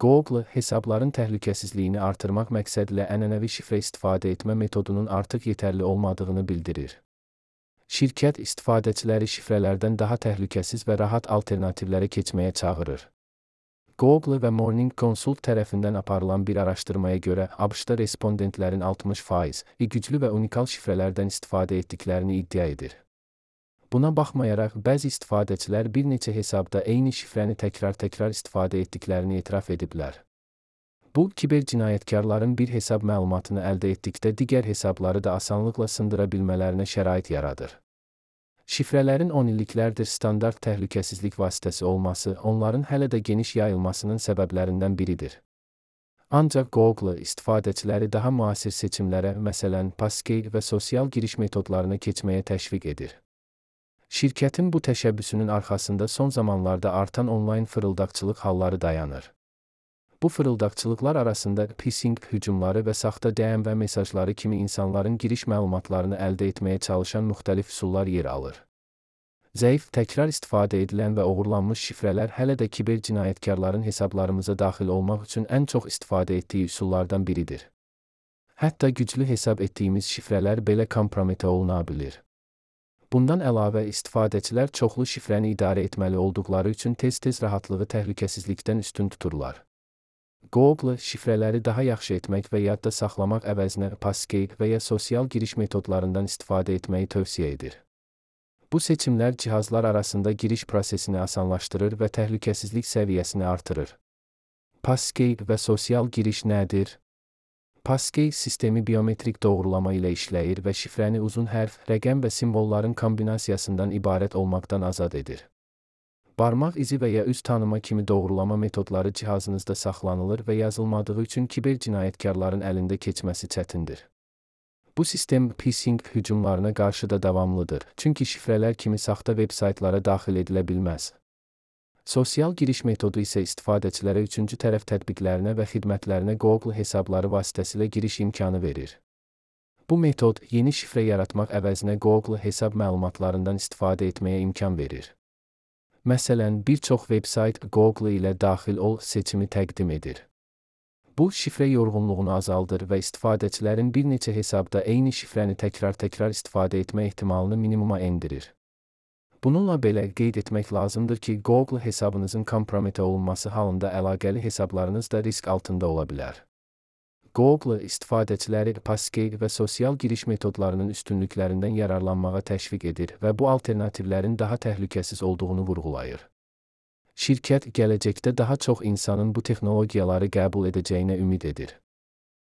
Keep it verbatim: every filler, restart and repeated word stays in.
Google, hesabların təhlükəsizliyini artırmaq məqsədilə ənənəvi şifrə istifadə etmə metodunun artıq yetərli olmadığını bildirir. Şirkət istifadəçiləri şifrələrdən daha təhlükəsiz və rahat alternativlərə keçməyə çağırır. Google və Morning Consult tərəfindən aparılan bir araşdırmaya görə ABŞ-da respondentlərin altmış faizi güclü və unikal şifrələrdən istifadə etdiklərini iddia edir. Buna baxmayaraq, bəzi istifadəçilər bir neçə hesabda eyni şifrəni təkrar-təkrar istifadə etdiklərini etiraf ediblər. Bu, kiber cinayətkarların bir hesab məlumatını əldə etdikdə digər hesabları da asanlıqla sındıra bilmələrinə şərait yaradır. Şifrələrin on illiklərdir standart təhlükəsizlik vasitəsi olması onların hələ də geniş yayılmasının səbəblərindən biridir. Ancaq Google istifadəçiləri daha müasir seçimlərə, məsələn, passkey və sosial giriş metodlarına keçməyə təşviq edir. Şirkətin bu təşəbbüsünün arxasında son zamanlarda artan onlayn fırıldaqçılıq halları dayanır. Bu fırıldaqçılıqlar arasında phishing hücumları və saxta D M və mesajları kimi insanların giriş məlumatlarını əldə etməyə çalışan müxtəlif üsullar yer alır. Zəif, təkrar istifadə edilən və oğurlanmış şifrələr hələ də kiber cinayətkarların hesablarımıza daxil olmaq üçün ən çox istifadə etdiyi üsullardan biridir. Hətta güclü hesab etdiyimiz şifrələr belə kompromitə oluna bilir. Bundan əlavə, istifadəçilər çoxlu şifrəni idarə etməli olduqları üçün tez-tez rahatlığı təhlükəsizlikdən üstün tuturlar. Google, şifrələri daha yaxşı etmək və yadda saxlamaq əvəzinə passkey və ya sosial giriş metodlarından istifadə etməyi tövsiyə edir. Bu seçimlər cihazlar arasında giriş prosesini asanlaşdırır və təhlükəsizlik səviyyəsini artırır. Passkey və sosial giriş nədir? Passkey sistemi biometrik doğrulama ilə işləyir və şifrəni uzun hərf, rəqəm və simvolların kombinasiyasından ibarət olmaqdan azad edir. Barmaq izi və ya üz tanıma kimi doğrulama metodları cihazınızda saxlanılır və yazılmadığı üçün kiber cinayətkarların əlində keçməsi çətindir. Bu sistem phishing hücumlarına qarşı da davamlıdır, çünki şifrələr kimi saxta veb-saytlara daxil edilə bilməz. Sosial giriş metodu isə istifadəçilərə üçüncü tərəf tətbiqlərinə və xidmətlərinə Google hesabları vasitəsilə giriş imkanı verir. Bu metod, yeni şifrə yaratmaq əvəzinə Google hesab məlumatlarından istifadə etməyə imkan verir. Məsələn, bir çox veb-sayt Google ilə daxil ol seçimi təqdim edir. Bu, şifrə yorğunluğunu azaldır və istifadəçilərin bir neçə hesabda eyni şifrəni təkrar-təkrar istifadə etmə ehtimalını minimuma endirir. Bununla belə qeyd etmək lazımdır ki, Google hesabınızın kompromitə olunması halında əlaqəli hesablarınız da risk altında ola bilər. Google istifadəçiləri passkey və sosial giriş metodlarının üstünlüklərindən yararlanmağa təşviq edir və bu alternativlərin daha təhlükəsiz olduğunu vurğulayır. Şirkət gələcəkdə daha çox insanın bu texnologiyaları qəbul edəcəyinə ümid edir.